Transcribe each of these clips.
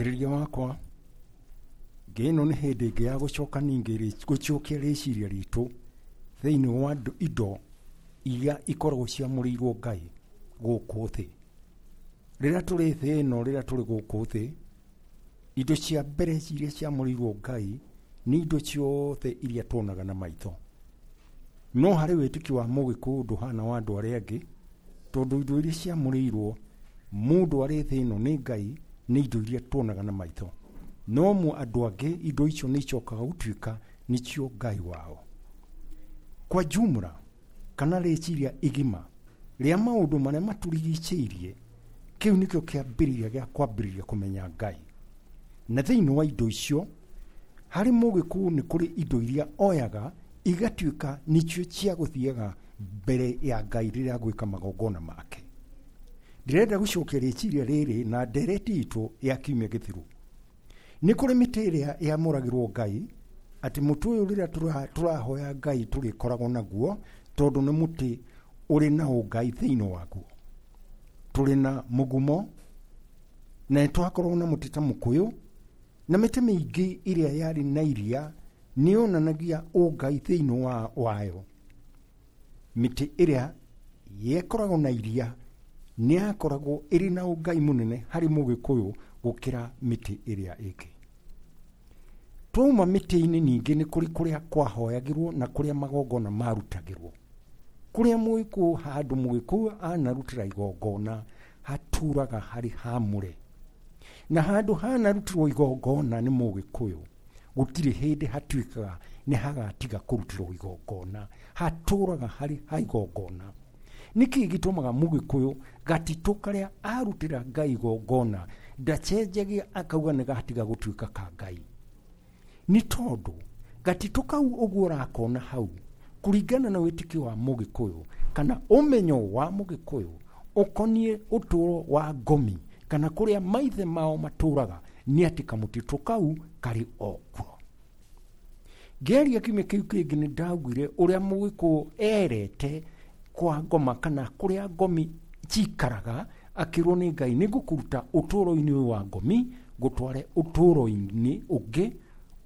Mũthikĩrĩria wakwa, ngĩ ĩno nĩ hĩndĩ ĩngĩ ya gũcoka ningĩ gũcokia rĩciria ritũ thĩinĩ wa indo iria ikoragwo ciamũrĩirwo Ngai gũkũ thĩ. Rĩrĩa tũrĩ thĩ ĩno, rĩrĩa tũrĩ gũkũ thĩ, indo cia mbere iria ciamũrĩirwo Ngai nĩ indo ciothe iria tuonaga na maitho. No harĩ wĩtĩkio wa Mũgĩkũyũ ndũhana wa andũ arĩa angĩ, tondũ indo iria ciamũrĩirwo mũndũ arĩ thĩ ĩno nĩ Ngai nĩ indo iria tuonaga na maitho. No andũ angĩ indo icio nĩ icokaga gũtuĩka nĩcio Ngai wao. Kwa jumla, kana rĩciria igima rĩa maũndũ marĩa matũrigicĩirie, kĩu nĩkĩo kĩambĩrĩria gĩa kwambĩrĩria kũmenya Ngai. Na thĩinĩ wa indo icio, harĩ Mũgĩkũyũ nĩ kũrĩ indo iria oyaga igatuĩka nĩcio cia gũthiaga mbere ya Ngai rĩrĩa agwĩka magongona make. Ndĩrenda gũcokia rĩciria rĩrĩ na ndereti itũ ya kiumia gĩthiru. Nĩ kũrĩ mĩtĩ ĩrĩa yamũragĩrwo Ngai, atĩ mũtĩ ũyũ rĩrĩa tũrahoya Ngai tũrĩkoragwo naguo, tondũ nĩ mũtĩ ũrĩ na ũngai thĩinĩ waguo. Tũrĩ na mũgumo, na nĩ twakoragwo na mũtĩ ta mũkũyũ, na mĩtĩ mĩingĩ ĩrĩa yarĩ na iria nĩ yonanagia ũngai thĩinĩ wayo. Mĩtĩ ĩrĩa yekoragwo na iria nĩ yakoragwo ĩrĩ na ũngai mũnene harĩ Mũgĩkũyũ gũkĩra mĩtĩ ĩrĩa ĩngĩ. Twauma mĩtĩ-inĩ ningĩ nĩ kũrĩ kũrĩa kwahoyagĩrwo na kũrĩa magongona marutagĩrwo. Kũrĩa Mũgĩkũyũ handũ Mũgĩkũyũ anarutĩra igongona hatũraga harĩ hamũre. Na handũ hanarutĩrwo igongona nĩ Mũgĩkũyũ gũtirĩ hĩndĩ hatuĩkaga nĩ hagatiga kũrutĩrwo igongona, hatũraga harĩ ha igongona. Nĩkĩ gĩtũmaga Mũgĩkũyũ gatitũ karĩa arutĩra Ngai igongona ndacenjagia akauga nĩ gatiga gũtuĩka ka Ngai? Nĩ tondũ gatitũ kau ũguo ũrakona hau, kũringana na wĩtĩkio wa Mũgĩkũyũ kana ũmenyo wa Mũgĩkũyũ ũkoniĩ ũtũro wa ngomi kana kũrĩa maithe mao matũraga, nĩ atĩ kamũtitũ kau karĩ o kuo. Ngĩaria kiumia kĩu kĩngĩ nĩ ndaugire ũrĩa Mũgĩkũyũ erete kwa ngoma kana kũrĩa ngomi cikaraga, akĩrwo nĩ Ngai nĩ ngũkũruta ũtũũro-inĩ ũyũ wa ngomi ngũtware ũtũũro-inĩ ũngĩ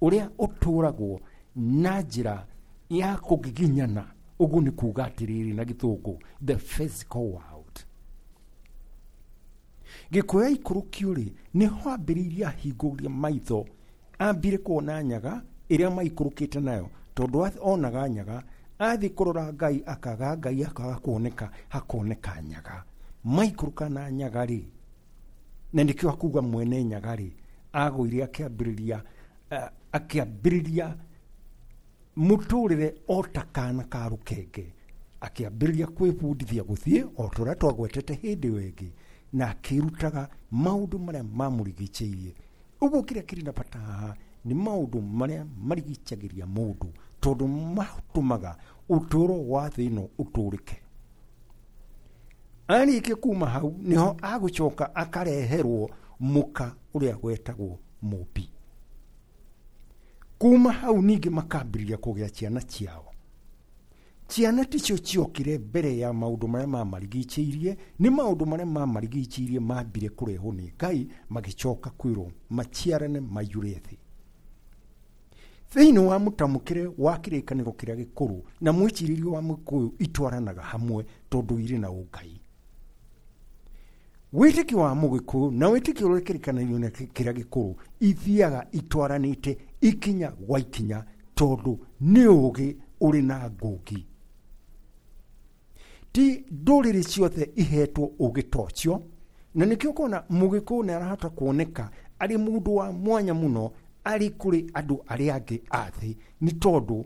ũrĩa ũtũragwo na njĩra ya kũgiginyana. Ũguo nĩ kuga atĩrĩrĩ na gĩthũngũ, the physical world. Gĩkũyũ aikũrũkio rĩ, nĩho ambĩrĩirie ahingũria maitho, ambire kuona nyaga ĩrĩa maikũrũkĩte nayo, tondũ onaga nyaga, athiĩ kũrora Ngai akaga Ngai akaga kuoneka, hakoneka nyaga. Maikũrũka na nyaga rĩ, na nĩkĩo akuga mwene nyaga rĩ, agũire akĩambĩrĩria mũtũrĩre o ta kana ka rũkenge, akĩambĩrĩria kwĩbundithia gũthiĩ o ta ũrĩa twagwetete hĩndĩ ĩyo ĩngĩ, na akĩrutaga maũndũ marĩa mamũrigicĩirie. Ũguo kĩrĩa kĩrĩ na bata haha nĩ maũndũ marĩa marigicagĩria mũndũ, tondũ matũmaga ũtũũro wa thĩ ĩno ũtũrĩke. Arĩkia kuma hau nĩho agũcoka akareherwo mũka ũrĩa wetagwo Mũmbi. Kuma hau ningĩ makambĩrĩria kũgĩa ciana ciao. Ciana ticio ciokire mbere ya maũndũ marĩa mamarigicĩirie, nĩ maũndũ marĩa mamarigicĩirie mambire kũrehwo nĩ Ngai, magĩcoka kwĩrwo maciarane maiyũre thĩ. Thĩinĩ wa mũtamũkĩre wa kĩrĩkanĩro kĩrĩa gĩkũrũ na mwĩcirĩrie wa Mũgĩkũyũ itwaranaga hamwe tondũ irĩ na ũngai. Wĩtĩkio wa Mũgĩkũyũ na wĩtĩkio ũrĩa kĩrĩkanĩro kĩrĩa gĩkũrũ ithiaga itwaranĩte ikinya gwa ikinya, tondũ nĩ ũũgĩ ũrĩ na ngũngi. Ti ndũrĩrĩ ciothe ihetwo ũũgĩ ta ũcio, na nĩkĩo ũkona Mũgĩkũyũ nĩ arahota kuoneka arĩ mũndũ wa mwanya mũno arĩ kũrĩ andũ arĩa angĩ a thĩ, nĩ tondũ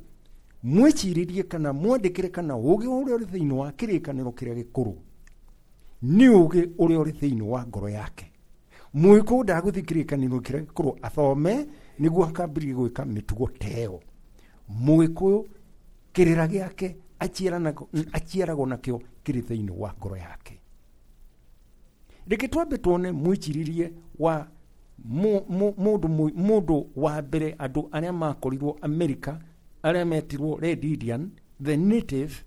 mwĩcirĩrie kana mwandĩkĩre kana ũũgĩ ũrĩa ũrĩ thĩinĩ wa kĩrĩkanĩro kĩrĩa gĩkũrũ nĩ ũũgĩ ũrĩa ũrĩ thĩinĩ wa ngoro yake. Mũgĩkũyũ ndagũthiĩ kĩrĩkanĩro kĩrĩa gĩkũrũ athome nĩguo akambĩrĩrie gwĩka mĩtugo ta ĩyo. Mũgĩkũyũ kĩrĩra gĩake aciaragwo nakĩo kĩrĩ thĩinĩ wa ngoro yake. Reke twambe tuone mwĩcirĩrie wa mũndũ wa mbere, andũ arĩa makorirwo Amerika, arĩa metirwo Red Indian, the native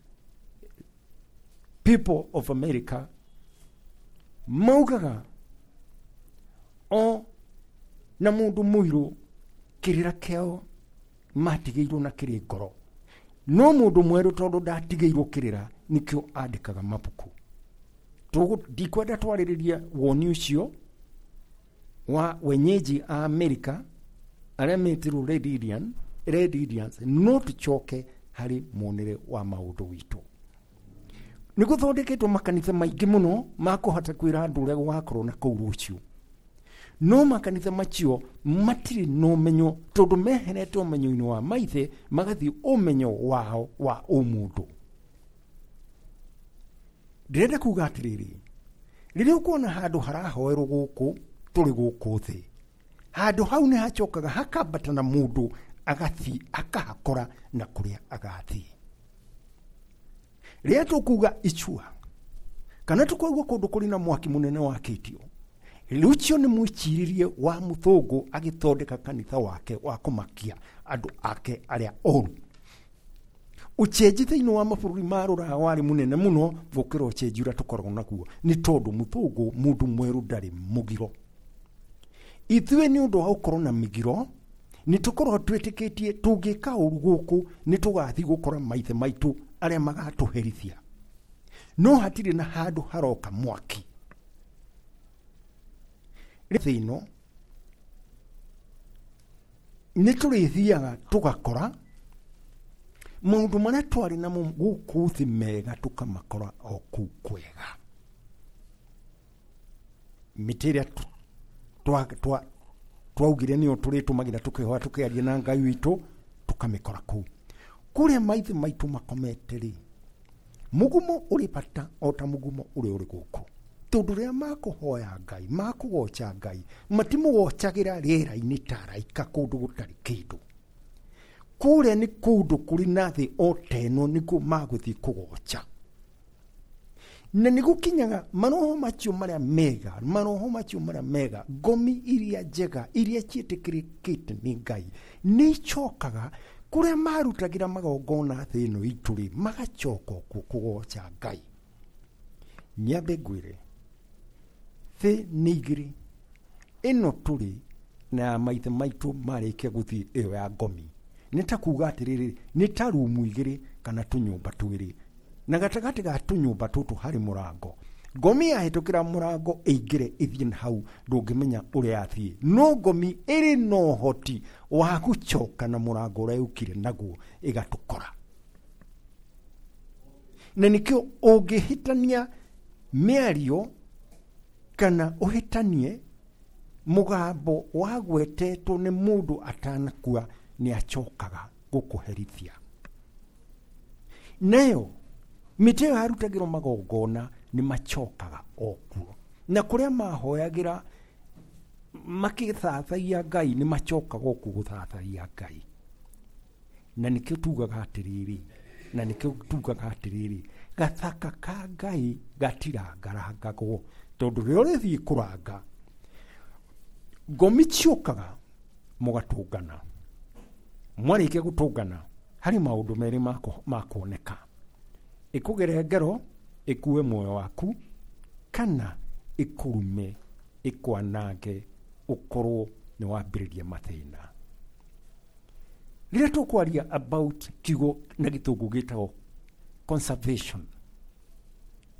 people of America, maugaga o Na mũndũ mũirũ kĩrĩra kĩao matigĩirwo na kĩrĩ ngoro. No mũndũ mwerũ tondũ ndatigĩirwo kĩrĩra nĩkĩo andĩkaga mabuku. Ndikwenda twarĩrĩrie woni ũcio wa wenyeji a Amerika arĩa metirwo Red Indians, no tũcoke harĩ muonere wa maũndũ witũ. Nĩ gũthondeketwo makanitha maingĩ mũno ma kũhota kwĩra andũ ũrĩa gũgakorwo na kũu rũciũ. No makanitha macio matirĩ na ũmenyo tondũ meherete ũmenyo-inĩ wa maithe magathiĩ ũmenyo wao wa ũmũndũ. Ndĩrenda kuga atĩrĩrĩ, rĩrĩa ũkuona handũ harahoerwo gũkũ tũrĩ gũkũ thĩ, handũ hau nĩ hacokaga hakambata na mũndũ agathiĩ akahakora na kũrĩa agathiĩ. Rĩrĩa tũkuga icua kana tũkaigua kũndũ kũrĩ na mwaki mũnene wakĩtio, rũcio nĩ mwĩcirĩrie wa mũthũngũ agĩthondeka kanitha wake wa kũmakia andũ ake arĩa oru. Ũcenji thĩinĩ wa mabũrũri ma rũraya warĩ mũnene mũno gũkĩra ũcenji ũrĩa tũkoragwo naguo, nĩ tondũ mũthũngũ mũndũ mwerũ ndarĩ mũgiro. Ithuĩ nĩ ũndũ wa gũkorwo na mĩgiro nĩ tũkoragwo twĩtĩkĩtie tũngĩka ũru gũkũ nĩ tũgathiĩ gũkora maithe maitũ arĩa magatũherithia. No hatirĩ na handũ haroka mwaki. Thĩ ĩno nĩ tũrĩthiaga tũgakora maũndũ marĩa twarĩ namo gũkũ thĩ mega tũkamakora o kũu kwega. Mĩtĩ ĩrĩa twaugire nĩyo tũrĩtũmagĩra tũkĩhoya tũkĩaria na Ngai witũ tũkamĩkora kũu. Kũrĩa maithe maitũ makomete rĩ, mũgumo ũrĩ bata o ta mũgumo ũrĩa ũrĩ gũkũ. Tondũ rĩrĩa makũhoya Ngai, makũgoca Ngai, matimũgocagĩra rĩera-inĩ ta araika kũndũ gũtarĩ kĩndũ. Kũrĩa nĩ kũndũ kũrĩ na thĩ o ta ĩno nĩkuo magũthiĩ kũgoca. Na nĩ gũkinyaga maroho macio marĩa mega, maroho macio marĩa mega, ngomi iria njega, iria ciĩtĩkĩrĩkĩte nĩ Ngai, nĩ icokaga kũrĩa marutagĩra magongona thĩ ĩno itũ rĩ, magacoka kuo kũgoca Ngai. Nyambe ngwĩre, thĩ nĩ igĩrĩ, ĩno tũrĩ na ya maithe maitũ marĩkia gũthiĩ ĩyo ya ngomi. Nĩ ta kuga atĩrĩrĩ, nĩ ta rumu igĩrĩ kana tũnyũmba twĩrĩ. Na gatagatĩ ga tũnyũmba tũtũ harĩ mũrango. Ngomi yahĩtũkĩra mũrango ĩingĩre ĩthiĩ na hau ndũngĩmenya ũrĩa yathiĩ. No ngomi ĩrĩ na ũhoti wa gũcoka na mũrango ũrĩa yũkire naguo ĩgatũkora. Na nĩkĩo ũngĩhĩtania mĩario kana ũhĩtanie mũgambo wagwetetwo nĩ mũndũ atanakua nĩ acokaga gũkũherithia. Nayo mĩtĩ ĩyo yarutagĩrwo magongona nĩ macokaga o kuo. Na kũrĩa mahoyagĩra makĩthathaia Ngai nĩ macokaga o kuo gũthathaia Ngai. Na nĩkĩo tugaga atĩrĩrĩ, na nĩkĩo tugaga atĩrĩrĩ, gathaka ka Ngai gatirangarangagwo tondũ rĩrĩa ũrĩthiĩ kũranga ngomi ciũkaga mũgatũngana. Mwarĩkia gũtũngana harĩ maũndũ merĩ ma kuoneka. Ĩkũgere ngero ĩkue muoyo waku kana ĩkũrume ĩkwanange ũkorwo nĩ wambĩrĩria mathĩna. Rĩrĩa tũkwaria about kiugo na gĩthũngũ gĩtagwo conservation,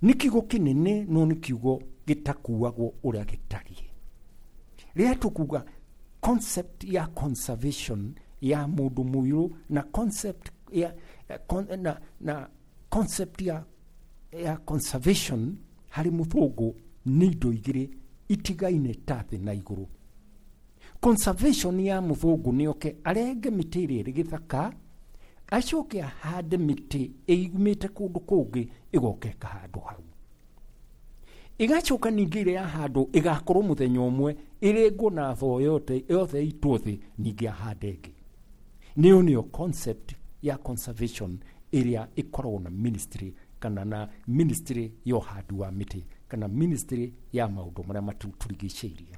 nĩ kiugo kĩnene no nĩ kiugo gĩtakuagwo ũrĩa gĩtariĩ. Rĩrĩa tũkuga concept ya conservation ya mũndũ mũirũ na concept ya, na concept ya conservation harĩ mũthũngũ nĩ indo igĩrĩ itigaine ta thĩ na igũrũ. Conservation ya mũthũngũ nĩ oke arenge mĩtĩ ĩrĩa ĩrĩ gĩthaka acoke ahande mĩtĩ ĩumĩte kũndũ kũngĩ ĩgoka ĩkahandwo hau. Ĩgacoka ningĩ ĩrĩa yahandwo ĩgakorwo mũthenya ũmwe ĩrengwo na thoo yothe ĩitwo thĩ ningĩ ahande ĩngĩ. Nĩyo nĩyo concept ya conservation ĩrĩa ĩkoragwo na ministry kana na ministry ya ũhandi wa mĩtĩ kana ministry ya maũndũ marĩa matũrigicĩirie.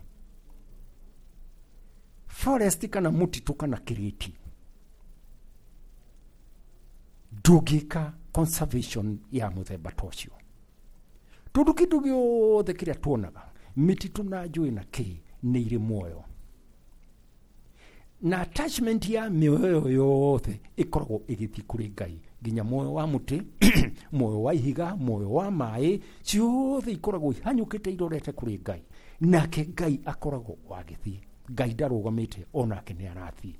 Forest kana mũtitũ kana kĩrĩti ndũngĩka conservation ya mũthemba ta ũcio. Tondũ kĩndũ gĩothe kĩrĩa tuonaga mĩtitũ na njũĩ na kĩ nĩ irĩ muoyo. Na attachment ya mĩoyo yothe ĩkoragwo ĩgĩthiĩ kũrĩ Ngai, nginya muoyo wa mũtĩ, muoyo wa ihiga, muoyo wa maĩ, ciothe ikoragwo ihanyũkĩte irorete kũrĩ Ngai. Nake Ngai akoragwo wagĩthiĩ. Ngai ndarũgamĩte, onake nĩ arathiĩ.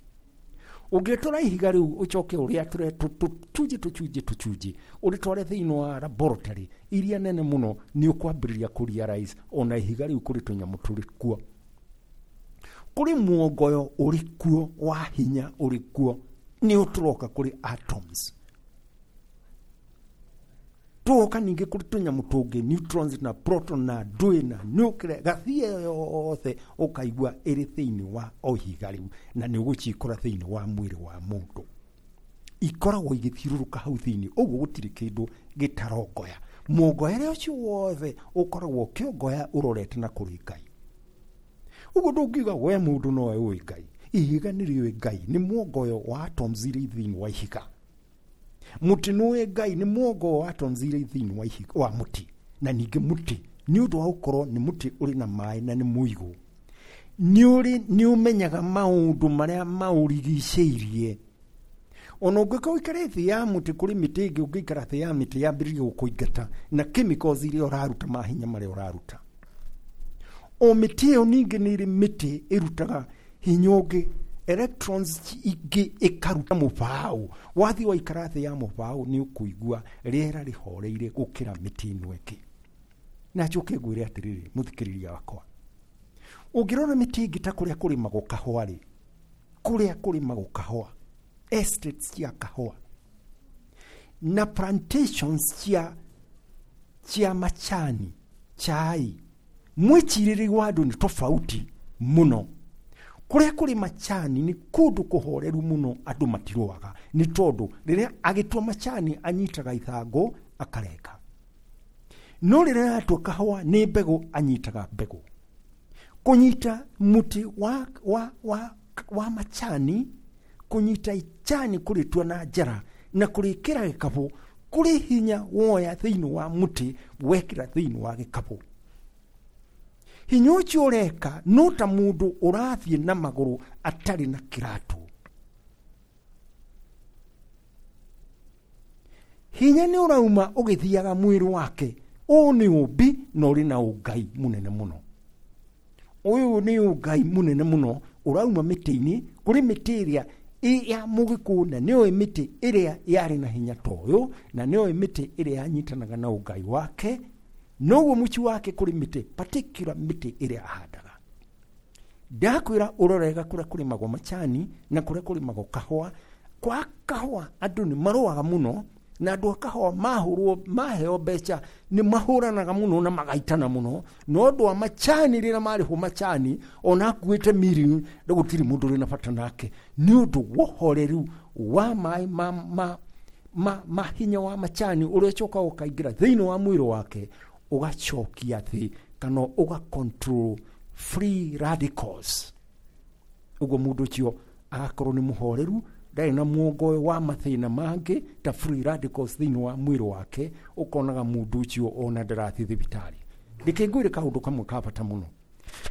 Ũngĩtwara ihiga rĩu ũcoke ũrĩatũre tũcunjĩ tũcunjĩ tũcunjĩ, ũrĩtware thĩinĩ wa laboratory iria nene mũno, nĩ ũkwambĩrĩria kũ realize ona ihiga rĩu kũrĩ tũnyamũ tũrĩ kuo. Kũrĩ muongoyo ũrĩ kuo wa hinya ũrĩ kuo, nĩ ũtũroka kũrĩ atoms. Tũgoka ningĩ kũrĩ tũnyamũ tũngĩ, neutrons na proton na ndũĩ na nuclear, gathia yothe ũkaigua ĩrĩ thĩinĩ wa o ihiga rĩu, na nĩ ũgũcikora thĩinĩ wa mwĩrĩ wa mũndũ. Ikoragwo igĩthiũrũrũka hau thĩinĩ, ũguo gũtirĩ kĩndũ gĩtarongoya. Muongoyere ũcio wothe ũkoragwo ũkĩongoya ũrorete na kũrĩ Ngai. Ũguo ndũngiuga we mũndũ nowe ũĩ Ngai. Ihiga nĩ rĩũĩ Ngai, nĩ muongoyo wa atoms iria thĩinĩ wa ihiga. Mũtĩ nĩũĩ Ngai, nĩ muongoyo wa atoms iria thĩinĩ wa ihiga, wa mũtĩ. Na ningĩ mũtĩ nĩ ũndũ wa gũkorwo nĩ mũtĩ ũrĩ na maĩ na nĩ mũigũ, nĩ ũmenyaga maũndũ marĩa maũrigicĩirie. Ona ũngĩkorwo ũikare thĩ ya mũtĩ, kũrĩ mĩtĩ ĩngĩ ũngĩikara thĩ ya mĩtĩ yambĩrĩrie gũkũingata na chemicals iria ũraruta, mahinya marĩa ũraruta. O mĩtĩ ĩyo ningĩ nĩ ĩrĩ mĩtĩ ĩrutaga hinya ũngĩ, electrons ingĩ ĩkaruta mũbaũ. Wathiĩ waikara thĩ ya mũbaũ nĩ ũkũigua rĩera rĩhoreire gũkĩra mĩtĩ ĩno ĩngĩ. Na njoke ngwĩre atĩrĩrĩ, mũthikĩrĩria wakwa, ũngĩrora mĩtĩ ĩngĩ ta kũrĩa kũrĩmagwo kahũa rĩ, kũrĩa kũrĩmagwo kahũa, estates cia kahũa na plantations cia macani, chai, mwĩcirĩrie wa andũ nĩ tofauti mũno. Kũrĩa kũrĩ macani nĩ kũndũ kũhoreru mũno, andũ matirũaga, nĩ tondũ rĩrĩa agĩtua macani anyitaga ithangũ akarenga, no rĩrĩa aratua kahũa nĩ mbegũ anyitaga mbegũ. Kũnyita mũtĩ wa macani, kũnyita icani kũrĩtua na njara na kũrĩkĩra gĩkabũ, kũrĩ hinya woya thĩinĩ wa mũtĩ wekĩra thĩinĩ wa gĩkabũ. Hinya ũcio ũreka no ta mũndũ ũrathiĩ na magũrũ atarĩ na kĩratũ. Hinya nĩ ũrauma ũgĩthiaga mwĩrĩ wake. Ũũ nĩ ũmbi na ũrĩ na ũngai mũnene mũno. Ũyũ nĩ ũngai mũnene mũno ũrauma mĩtĩ-inĩ, kũrĩ mĩtĩ ĩrĩa ya mũgĩkũyũ, na nĩoĩ mĩtĩ ĩrĩa yarĩ na hinya ta ũyũ, na nĩoĩ mĩtĩ ĩrĩa yanyitanaga na ũngai wake. Noguo mũciĩ wake kũrĩ mĩtĩ, particular mĩtĩ ĩrĩa ahandaga. Ndakwĩra ũrorega kũrĩa kũrĩmagwo macani na kũrĩa kũrĩmagwo kahũa. Kwa kahũa andũ nĩ marũaga mũno, na andũ a kahũa mahũrwo, maheo mbeca nĩ mahũranaga mũno na magaitana mũno. No andũ a macani rĩrĩa marĩhwo macani, ona akuĩte mirioni, gũtirĩ mũndũ ũrĩ na bata nake, nĩ ũndũ wa ũhoreru wa maĩ ma hinya wa macani ũrĩa ũcokaga ũkaingĩra thĩinĩ wa mwĩrĩ wake, ũgacokia thĩ kana ũga control free radicals. Ũguo mũndũ ũcio agakorwo nĩ mũhoreru, ndarĩ na muongoyo wa mathĩna mangĩ ta free radicals thĩinĩ wa mwĩrĩ wake. Ũkonaga mũndũ ũcio ona ndarathiĩ thibitarĩ. Reke ngwĩre kaũndũ kamwe ka bata mũno.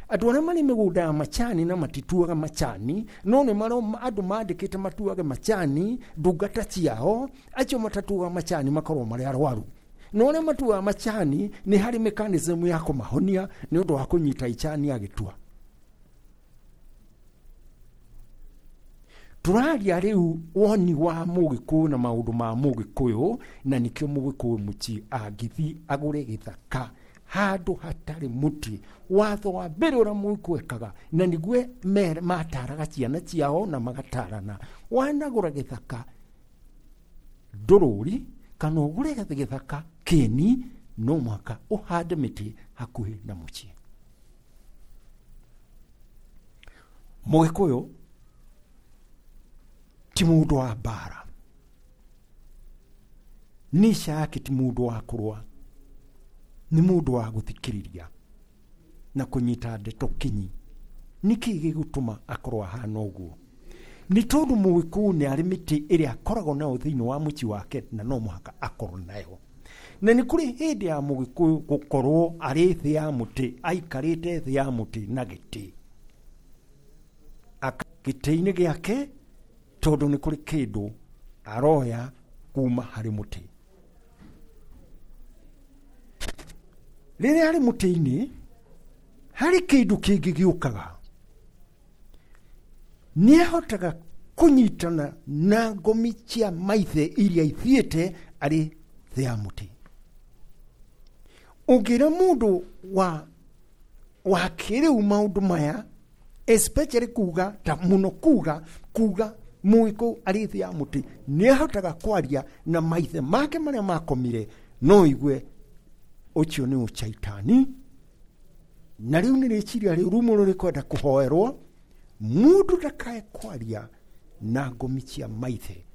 Andũ arĩa marĩ mĩgũnda ya macani na matituaga macani, no nĩ andũ mandĩkĩte matuage macani, ndungata ciao, acio matatuaga macani makorwo marĩ arwaru. No arĩa matuaga macani nĩ harĩ mechanism ya kũmahonia nĩ ũndũ wa kũnyita icani agĩtua. Tũraria rĩu woni wa mũgĩkũyũ na maũndũ ma mũgĩkũyũ, na nĩkĩo mũgĩkũyũ mũciĩ angĩthiĩ agũre gĩthaka handũ hatarĩ mũtĩ. Watho wa mbere ũrĩa mũgĩkũyũ ekaga, na nĩguo mataraga ciana ciao na magatarana, wanagũra gĩthaka ndũrũri kana ũgũre gĩthaka kĩeni, no mũhaka ũhande mĩtĩ hakuhĩ na mũciĩ. Mũgĩkũyũ ti mũndũ wa mbara, nisha yake ti mũndũ wa kũrũa, nĩ mũndũ wa gũthikĩrĩria na kũnyita ndeto kinyi. Nĩkĩ gĩgũtũma akorwo ahana ũguo? Nĩ tondũ mũgĩkũyũ nĩ arĩ mĩtĩ ĩrĩa akoragwo nayo thĩinĩ wa mũciĩ wake, na no mũhaka akorwo nayo. Na nĩ kũrĩ hĩndĩ ya mũgĩkũyũ gũkorwo arĩ thĩ ya mũtĩ, aikarĩte thĩ ya mũtĩ na gĩtĩ. Gĩtĩ-inĩ gĩake tondũ nĩ kũrĩ kĩndũ aroya kuma harĩ mũtĩ. Rĩrĩa arĩ mũtĩ-inĩ harĩ kĩndũ kĩngĩ gĩũkaga, nĩ ahotaga kũnyitana na ngomi cia maithe iria ithiĩte arĩ thĩ ya mũtĩ. Ũngĩra mũndũ wa kĩrĩu maũndũ maya, especially kuga ta mũno kuga mũgĩkũyũ arĩ thĩ ya mũtĩ nĩ ahotaga kwaria na maithe make marĩa makomire, no igue ũcio nĩ ũcaitani. Na rĩu nĩ rĩciria rĩũru mũno rĩkwenda kũhoerwo, mũndũ ndakae kwaria na ngomi cia maithe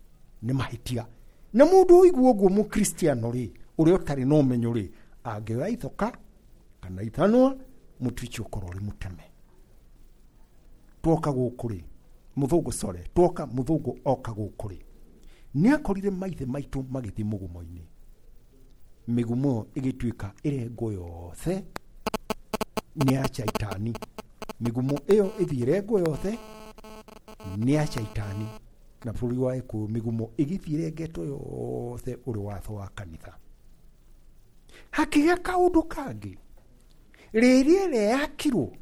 nĩ mahĩtia. Na mũndũ ũigua ũguo mũkristiano rĩ, ũrĩa ũtarĩ na ũmenyo rĩ, angĩoya ithoka kana ithanwa, mũtĩ ũcio ũkorwo ũrĩ mũteme. Twoka gũkũ rĩ, mũthũngũ sorry, twoka mũthũngũ oka gũkũ rĩ, nĩ akorire maithe maitũ magĩthiĩ mũgumo-inĩ. Mĩgumo ĩgĩtuĩka ĩrengwo yothe nĩ ya caitani. Mĩgumo ĩyo ĩthiĩ ĩrengwo yothe nĩ ya caitani. Na bũrũri wa Gĩkũyũ mĩgumo ĩgĩthiĩ ĩrengetwo yothe ũrĩ watho wa kanitha. Hakĩgĩa kaũndũ kangĩ, rĩrĩ ĩrĩa yakirwo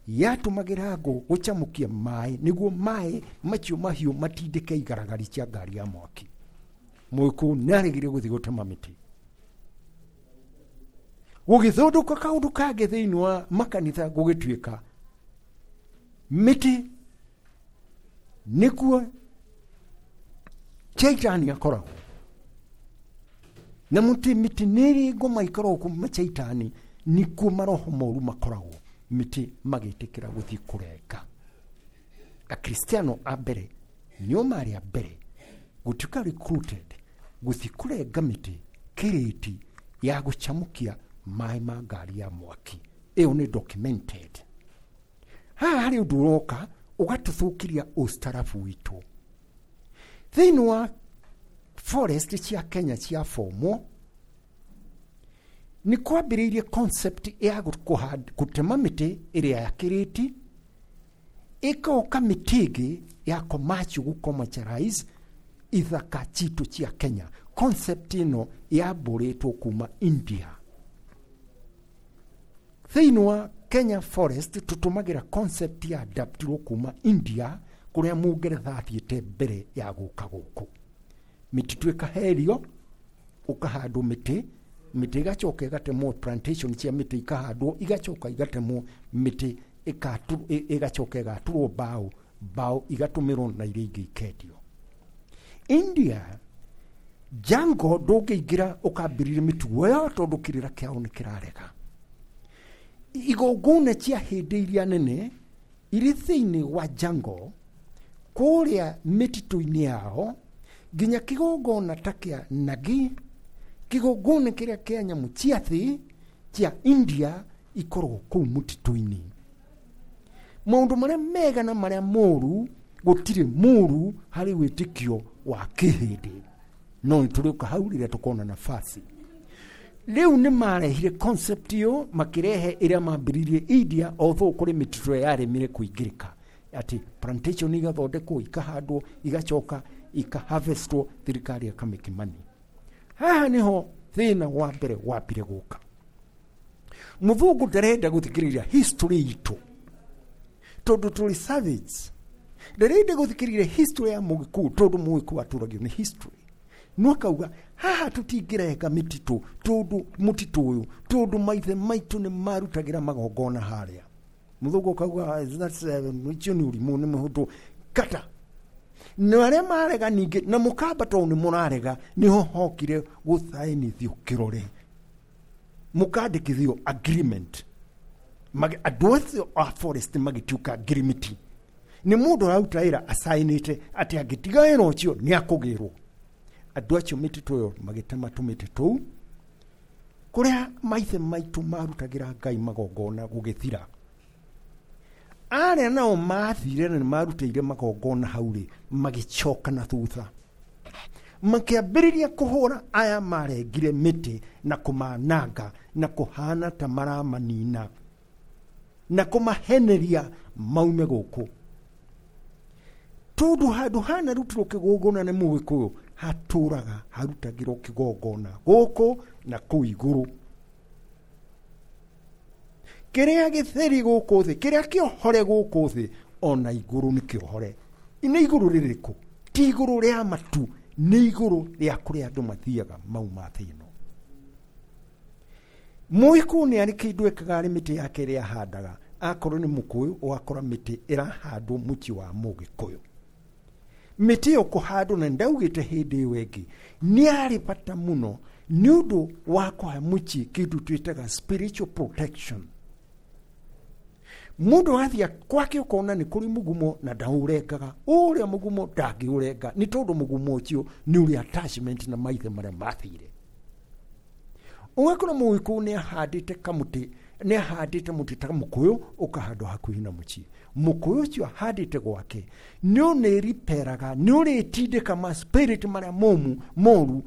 yatũmagĩra ngũ gũcamũkia maĩ nĩguo maĩ macio mahiũ matindĩke igaragari cia ngari ya mwaki. Mũgĩkũyũ nĩaregire gũthiĩ gũtema mĩtĩ. Gũgĩthondũka kaũndũ kangĩ thĩinĩ wa makanitha, gũgĩtuĩka mĩtĩ nĩkuo caitani akoragwo. Na mĩtĩ nĩ ĩrĩ ngoma ikoragwo kuma caitani, nĩkuo maroho moru makoragwo. Mĩtĩ magĩtĩkĩra gũthiĩ kũrenga. Akristiano a mbere nĩo marĩ a mbere gũtuĩka recruited gũthiĩ kũrenga mĩtĩ kĩrĩti ya gũcamũkia maĩ ma ngari ya mwaki. Ĩyo nĩ documented. Haha harĩ ũndũ ũroka ũgatũthũkĩria ũstarabu witũ. Thĩinĩ wa forest cia Kenya cia fomo nĩ kwambĩrĩirie concept ya gũtema mĩtĩ ĩrĩa ya kĩrĩti, ĩkoka mĩtĩ ĩngĩ ya commercial gũ-commercialize ithaka citũ cia Kenya. Concept ĩno yambũrĩtwo kuma India. Thĩinĩ wa Kenya forest tũtũmagĩra concept ya adaptirwo kuma India, kũrĩa mũngeretha athiĩte mbere ya gũka gũkũ. Mĩtitũ ĩkaherio, ũkahandwo mĩtĩ, mĩtĩ ĩgacoka ĩgatemwo, plantation cia mĩtĩ ikahandwo, igacoka igatemwo, mĩtĩ ĩgacoka ĩgatũrwo mbaũ, mbaũ igatũmĩrwo na iria ingĩ ikendio. India jango ndũngĩingĩra ũkambĩrĩria mĩtugo ĩyo tondũ kĩrĩra kĩao nĩ kĩrarega. Igongona cia hĩndĩ iria nene irĩ thĩinĩ wa jango kũrĩa mĩtitũ-inĩ yao, nginya kĩgongona ta kĩa Nagi, kĩgongona kĩrĩa kĩa nyamũ cia thĩ cia India ikoragwo kũu mũtitũ-inĩ. Maũndũ marĩa mega na marĩa moru, gũtirĩ moru harĩ wĩtĩkio wa kĩhĩndĩ. No nĩtũrĩũka hau rĩrĩa tũkona nafasi. Rĩu nĩ marehire concept ĩyo, makĩrehe ĩrĩa mambĩrĩirie India, although kũrĩ mĩtitũ yaremire kũingĩrĩka, atĩ plantation igathondekwo, ikahandwo, igacoka ikaharvestwo, thirikari ĩkamake money. Haha nĩho thĩna wa mbere wambire gũka. Mũthũngũ ndarenda gũthikĩrĩria history itũ tondũ tũrĩ savage. Ndarenda gũthikĩrĩria history ya mũgĩkũyũ tondũ mũgĩkũyũ atũragio nĩ history. No akauga haha tũtingĩrenga mĩtitũ tondũ mũtitũ ũyũ, tondũ maithe maitũ nĩ marutagĩra magongona harĩa. Mũthũngũ akauga that's ũcio nĩ ũrimũ, nĩ mũhũthũ kata. Na arĩa marega ningĩ na mũkamba tondũ nĩ mũrarega, nĩho hokire gũthainithio kĩrore, mũkandĩkithio agreement. Andũ acio a forest magĩtuĩka ngirimiti. Nĩ mũndũ araruta wĩra acainĩte atĩ angĩtiga wĩra ũcio nĩ akũgĩrwo. Andũ acio mĩtitũ ĩyo magĩtema tũmĩtĩ tũu kũrĩa maithe maitũ marutagĩra Ngai magongona gũgĩthira. Arĩa nao mathire na nĩmarutĩire magongona hau rĩ, magĩcoka na thutha, makĩambĩrĩria kũhũra aya marengire mĩtĩ na kũmananga na kũhana ta maramanina na kũmaheneria maume gũkũ. Tondu handu hanarutirwo kigongona nĩ Mũgĩkũyũ hatũraga harutagĩrwo kigongona gũkũ na kũu igũrũ. Kĩrĩa gĩtheri gũkũ thĩ, kĩrĩa kĩohore gũkũ thĩ, ona igũrũ nĩ kĩohore. Nĩ igũrũ rĩrĩkũ? Ti igũrũ rĩa matu, nĩ igũrũ rĩa kũrĩa andũ mathiaga mauma thĩ ĩno. Mũgĩkũyũ nĩ arĩ kĩndũ ekaga arĩ mĩtĩ yake ĩrĩa ahandaga. Akorwo nĩ mũkũyũ, ũgakora mĩtĩ ĩrahandwo mũciĩ wa Mũgĩkũyũ. Mĩtĩ ĩyo kũhandwo, na ndaugĩte hĩndĩ ĩyo ĩngĩ, nĩ yarĩ bata mũno nĩ ũndũ wa kũhe mũciĩ kĩndũ twĩtaga spiritual protection. Mũndũ athiĩ kwake ũkona nĩ kũrĩ mũgumo na ndaũrengaga, ũrĩa mũgumo ndangĩũrenga nĩ tondũ mũgumo ũcio nĩ ũrĩ attachment na maithe marĩa mathire. Ũgakora Mũgĩkũyũ nĩ ahandĩte kamũtĩ, nĩ ahandĩte mũtĩ ta mũkũyũ ũkahandwo hakuhĩ na mũciĩ. Mũkũyũ ũcio ahandĩte gwake nĩ ũnĩriperaga, nĩ ũrĩtindĩka ma spirit marĩa momu moru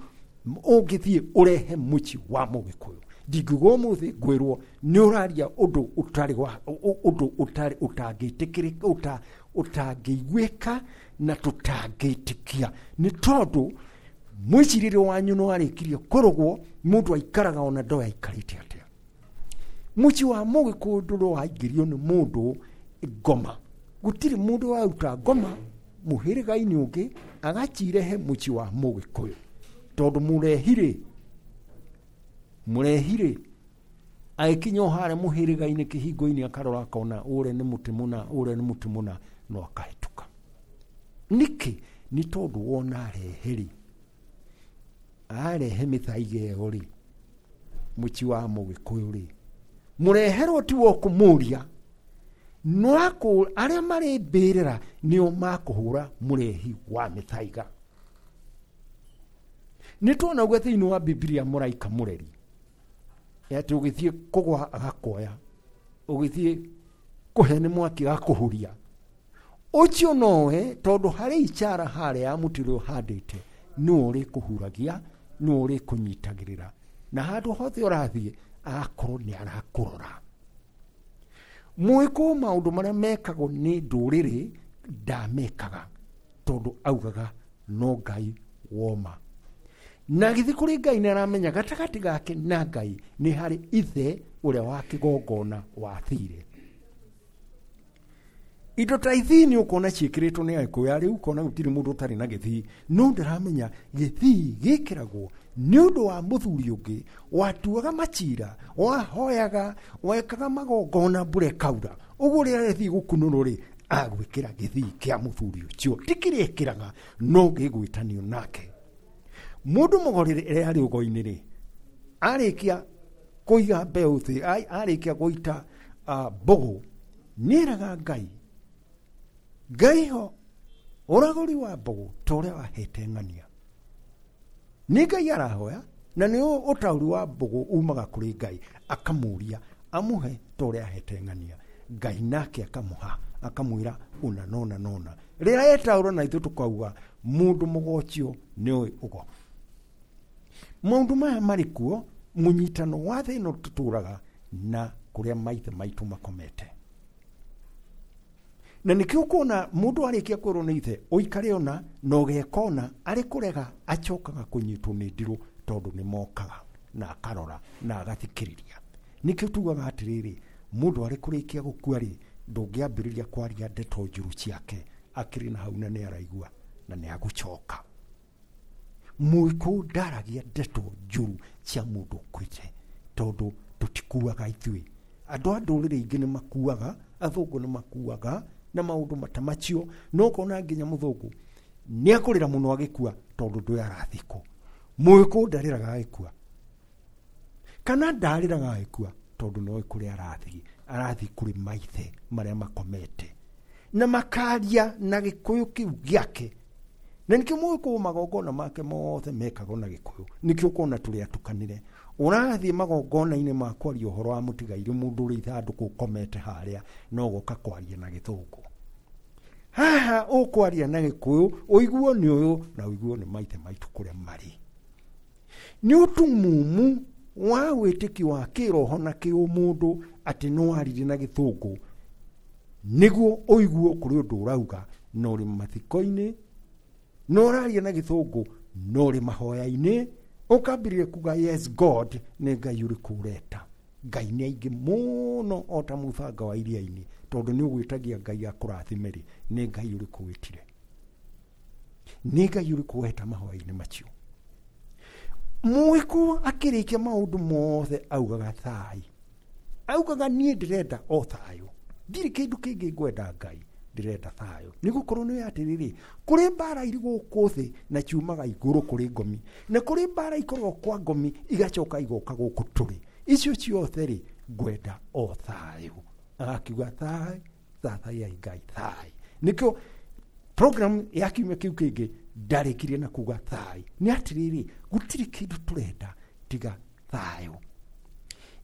ũngĩthiĩ ũrehe mũciĩ wa Mũgĩkũyũ. Ndingiuga ũmũthĩ ngwĩrwo nĩ ũraria ũndũ ũtarĩ wa, ũndũ ũtarĩ ũtangĩtĩkĩrĩka, ũtangĩiguĩka na tũtangĩtĩkia, nĩ tondũ mwĩcirĩrie wanyu nĩ warĩkirie kũrũgwo. Mũndũ aikaraga ona ndoĩ aikarĩte atĩa. Mũciĩ wa Mũgĩkũyũ ndũrĩ waingĩrio nĩ mũndũ ngoma. Gũtirĩ mũndũ waruta ngoma mũhĩrĩga-inĩ ũngĩ agacirehe mũciĩ wa Mũgĩkũyũ, tondũ mũrehirĩ agĩkinya o harĩa mũhĩrĩga-inĩ kĩhingo-inĩ akarora akona ũrĩa nĩ mũtĩ mũna, ũrĩa nĩ mũtĩ mũna, no akahĩtũka. Nĩkĩ? Nĩ tondũ wona arehe-rĩ, arehe mĩthaiga ĩyo rĩ, mũciĩ wa Mũgĩkũyũ rĩ, mũreherwo ti wa kũmũria, no arĩa marĩ mbĩrĩra nĩo makũhũra mũrehi wa mĩthaiga. Nĩ tuona ũguo thĩinĩ wa Bibilia mũraika mũreri, atĩ ũgĩthiĩ kũgwa agakuoya, ũgĩthiĩ kũhe nĩ mwaki agakũhuria. Ũcio nowe tondũ harĩ icara harĩa ya mũtĩ ũrĩa ũhandĩte, nĩwe ũrĩkũhuragia, nĩwe ũrĩkũnyitagĩrĩra, na handũ hothe ũrathiĩ agakorwo nĩ arakũrora. Mũgĩkũyũ maũndũ marĩa mekagwo nĩ ndũrĩrĩ ndamekaga, tondũ augaga no Ngai woma. Na gĩthiĩ kũrĩ Ngai nĩ aramenya gatagatĩ gake na Ngai nĩ harĩ ithe ũrĩa wa kĩgongona wathire. Indo ta ithii nĩ ũkuona ciĩkĩrĩtwo nĩ Agĩkũyũ arĩa ũkona gũtirĩ mũndũ ũtarĩ na gĩthii, no ndaramenya gĩthii gĩkĩragwo nĩ ũndũ wa mũthuri ũngĩ watuaga macira, wahoyaga, wekaga magongona mbura ĩkaura. Ũguo rĩrĩa rĩthiĩ gũkunũrwo rĩ, agwĩkĩra gĩthii kĩa mũthuri ũcio, ti kĩrĩa ĩkĩraga, no gĩgwĩtanio nake. Mũndũ mũgori rĩrĩa arĩ ũgo-inĩ rĩ, arĩkia kũiga mbeũ thĩ, arĩkia gũita mbũgũ, nĩeraga Ngai, Ngai ho ũragũri wa mbũgũ ta ũrĩa wahete ng'ania. Nĩ Ngai arahoya, na nĩ ũtaũri wa mbũgũ umaga kũrĩ Ngai, akamũria amũhe ta ũrĩa ahete ng'ania. Ngai nake akamũha, akamwĩra ũna nona nona. Rĩrĩa etaũra na ithuĩ tũkauga mũndũ mũgocio nĩoĩ ũgo. Maũndũ maya marĩ kuo, mũnyitano wa thĩ ĩno tũtũraga na kũrĩa maithe maitũ makomete. Na nĩkĩo ũkuona mũndũ arĩkia kwĩrwo nĩ ithe ũikare ona na ũgeka ona arĩ kũrega acokaga kũnyitwo nĩ ndirũ, tondũ nĩ mokaga na akarora na agathikĩrĩria. Nĩkĩo tugaga atĩrĩrĩ, mũndũ arĩ kũrĩkia gũkua rĩ, ndũngĩambĩrĩria kwaria ndeto njũru ciake akĩrĩ na hau na nĩ araigua na nĩ agũcoka. Mũgĩkũyũ ndaragia ndeto njũru cia mũndũ ũkuĩte, tondũ tũtikuaga ithuĩ. Andũ a ndũrĩrĩ ingĩ nĩ makuaga, athũngũ nĩ makuaga na maũndũ mata macio, no ũkona nginya mũthũngũ nĩ akũrĩra mũno agĩkua tondũ ndũĩ arathikwo. Mũgĩkũyũ ndarĩraga agĩkua, kana ndarĩraga agĩkua tondũ noĩ kũrĩa arathiĩ, arathiĩ kũrĩ maithe marĩa makomete na makaria na gĩkũyũ kĩu gĩake. Na nĩkĩo mũgĩkũyũ magongona make mothe mekagwo na gĩkũyũ. Nĩkĩo ũkona tũrĩ atukanĩre. Ũrathiĩ magongona-inĩ ma kwaria ũhoro wa mũtigairĩ mũndũ ũrĩ ithandũkũ ũkomete harĩa, no ũgoka kwaria na gĩthũngũ. Haha ũkwaria na gĩkũyũ, ũiguo nĩ ũyũ na ũiguo nĩ maithe maitũ kũrĩa marĩ. Nĩ ũtumumu wa wĩtĩkio wa kĩroho na kĩũmũndũ atĩ no aririe na gĩthũngũ nĩguo ũiguo kũrĩ ũndũ ũrauga, na ũrĩ mathiko-inĩ, na ũraria na gĩthũngũ, na ũrĩ mahoya-inĩ, ũkambĩrĩria kuga yes God, nĩ Ngai ũrĩkũ ũreta. Ngai nĩ aingĩ mũno o ta mũthanga wa iria-inĩ, tondũ nĩ ũgwĩtagia Ngai akũrathime rĩ, nĩ Ngai ũrĩkũ wĩtire? Nĩ Ngai ũrĩkũ weta mahoya-inĩ macio? Mũgĩkũyũ akĩrĩkia maũndũ mothe augaga thayũ. Augaga niĩ ndĩrenda o thayũ, ndirĩ kĩndũ kĩngĩ ngwenda Ngai, ndĩrenda thayũ. Nĩ gũkorwo nĩ atĩrĩrĩ, kũrĩ mbara irĩ gũkũ thĩ na ciumaga igũrũ kũrĩ ngomi, na kũrĩ mbara ikoragwo kwa ngomi igacoka igoka gũkũ tũrĩ. Icio ciothe rĩ, ngwenda o thayũ. Agakiuga thayũ, thathayai Ngai thayũ. Nĩkĩo program ya kiumia kĩu kĩngĩ ndarĩkirie na kuga thayũ. Nĩ atĩrĩrĩ, gũtirĩ kĩndũ tũrenda tiga thayũ.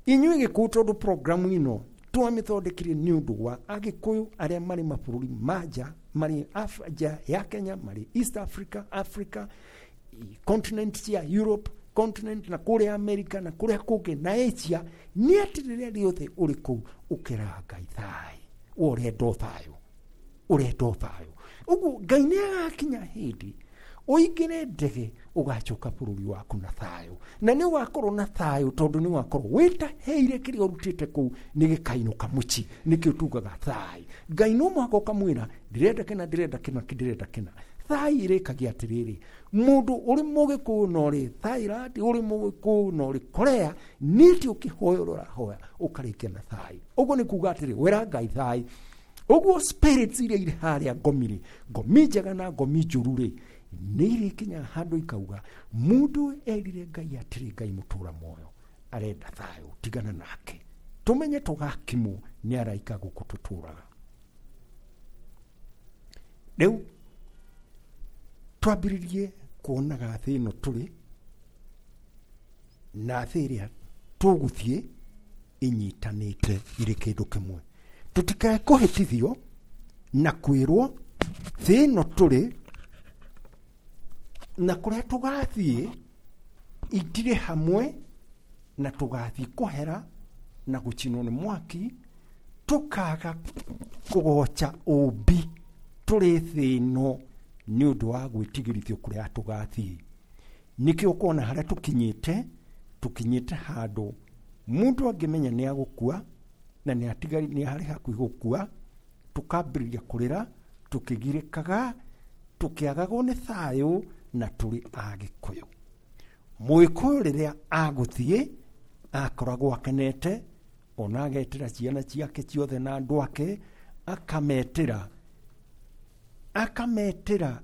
Inyuĩ Gĩkũyũ, tondũ programu ĩno twamĩthondekire nĩ ũndũ wa Agĩkũyũ arĩa marĩ mabũrũri ma nja, marĩ nja ya Kenya, marĩ East Africa, Africa, continent cia Europe, continent na kũrĩa America na kũrĩa kũngĩ na Asia, nĩ atĩ rĩrĩa rĩothe ũrĩ kũu ũkeraga Ngai thayũ, we ũrenda o thayũ, ũrenda o thayũ. Ũguo Ngai nĩ agakinya hĩndĩ ũingĩre ndege ũgacoka bũrũri waku na thayũ, na nĩ ũgakorwo na thayũ tondũ nĩ ũgakorwo wĩtaheire kĩrĩa ũrutĩte kũu nĩ gĩkainũka mũciĩ. Nĩkĩo tugaga thayũ. Ngai no mũhaka ũkamwĩra ndĩrenda kĩna, ndĩrenda kĩna, ndĩrenda kĩna. Thayũ ĩrĩkagia atĩrĩrĩ, mũndũ ũrĩ mũgĩkũyũ na ũrĩ Thailand, ũrĩ mũgĩkũyũ na ũrĩ Korea, nĩ atĩ ũkĩhoya ũrĩa ũrahoya ũkarĩkia na thayũ. Ũguo nĩ kuga atĩrĩ, wĩra Ngai thayũ. Ũguo spirits iria irĩ harĩa ngomi rĩ, ngomi njega na ngomi njũru rĩ, nĩ irĩkinya handũ ikauga mũndũ erire Ngai atĩrĩ, Ngai mũtũra muoyo arenda thayũ, tigana nake. Tũmenye tũgakimwo nĩ araika gũkũ tũtũraga. Rĩu twambĩrĩrie kuonaga thĩ ĩno tũrĩ na thĩ ĩrĩa tũgũthiĩ inyitanĩte irĩ kĩndũ kĩmwe. Tũtikae kũhĩtithio na kwĩrwo thĩ ĩno tũrĩ na kũrĩa tũgathiĩ itirĩ hamwe, na tũgathiĩ kũhera na gũcinwo nĩ mwaki, tũkaga kũgoca ũmbi tũrĩ thĩ ĩno nĩ ũndũ wa gwĩtigĩrithio kũrĩa tũgathiĩ. Nĩkĩo ũkona harĩa tũkinyĩte, tũkinyĩte handũ mũndũ angĩmenya nĩ agũkua na nĩ harĩ hakuhĩ gũkua, tũkambĩrĩria kũrĩra, tũkĩgirĩkaga, tũkĩagagwo nĩ thayũ na tũrĩ Agĩkũyũ. Mũgĩkũyũ rĩrĩa agũthiĩ akoragwo akenete, ona agetĩra ciana ciake ciothe na andũ ake, akametĩra, akametĩra,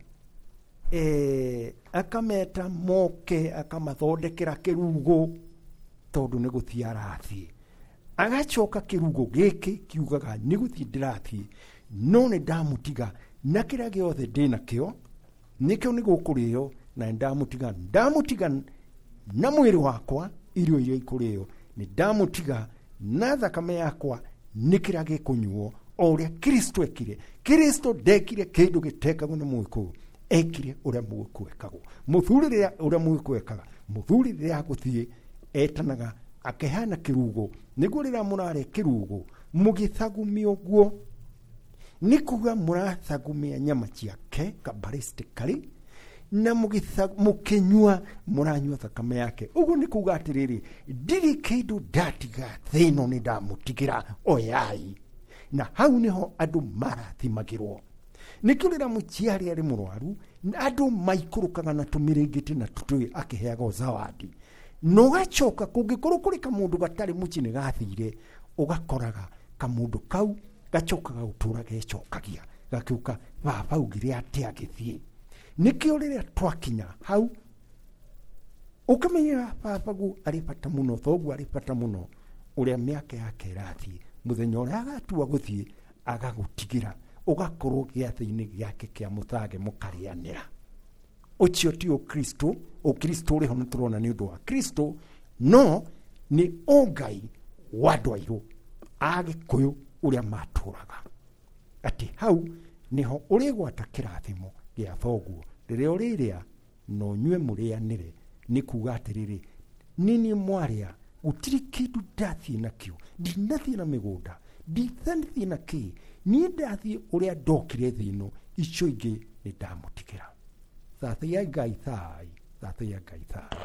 akameta moke, akamathondekera kĩrugo tondũ nĩ gũthiĩ arathiĩ. Agacoka kĩrugo gĩkĩ kiugaga nĩ gũthiĩ ndĩrathiĩ, no nĩ ndamũtiga na kĩrĩa gĩothe ndĩnakĩo, nĩkĩo nĩ gũkũrĩo, na nĩ ndamũtiga, ndamũtiga na mwĩrĩ wakwa irio iria ikũrĩo, nĩ ndamũtiga na thakame yakwa nĩ kĩrĩa gĩkũnyuo, o ũrĩa Kristo ekire. Kristo ndekire kĩndũ gĩtekagwo nĩ mũgĩkũyũ, ekire ũrĩa mũgĩkũyũ ekagwo. Mũthuri rĩrĩa ũrĩa mũgĩkũyũ ekaga, mũthuri rĩrĩa agũthiĩ etanaga akĩheana kĩrugo, nĩguo rĩrĩa mũrarĩa kĩrugo mũgĩthagumia ũguo, nĩ kuga mũrathagumia nyama ciake kabaristikali, na mũkĩnyua mũranyua thakame yake. Ũguo nĩ kuga atĩrĩrĩ, ndirĩ kĩndũ ndatiga thĩ ĩno, nĩ ndamũtigĩra oyai. Na hau nĩho andũ marathimagĩrwo. Nĩkĩo rĩrĩa mũciari arĩ mũrwaru, andũ maikũrũkaga na tũmĩrĩngĩti na tũtũĩ akĩheagwo zawadi. Na ũgacoka kũngĩkorwo kũrĩ kamũndũ gatarĩ mũciĩ nĩ gathire, ũgakoraga kamũndũ kau gacokaga gũtũra gecokagia, gakiuga baba augire atĩa agĩthiĩ. Nĩkĩo rĩrĩa twakinya hau ũkamenyera babaguo arĩ bata mũno, thoguo arĩ bata mũno, ũrĩa mĩaka yake ĩrathiĩ, mũthenya ũrĩa agatua gũthiĩ agagũtigĩra, ũgakorwo gĩathĩ-inĩ gĩake kĩa mũthage mũkarĩanĩra. Ũcio ti ũkristo, ũkristo ũrĩ ho nĩ tũrona nĩ ũndũ wa Kristo, no nĩ ũngai wa andũ airũ a Gĩkũyũ ũrĩa matũraga. Atĩ hau nĩho ũrĩgwata kĩrathimo gĩa thoguo, rĩrĩa ũrĩrĩa na ũnyue mũrĩanĩre, nĩ kuga atĩrĩrĩ, nini mwarĩa, gũtirĩ kĩndũ ndathiĩ nakĩo, ndinathiĩ na mĩgũnda, ndinathiĩ na kĩ, Niĩ ndathiĩ ũrĩa ndokire thĩ ĩno, icio ingĩ nĩ ndamũtigĩra. Thathaiya Ngai thai, thathaiya Ngai thai.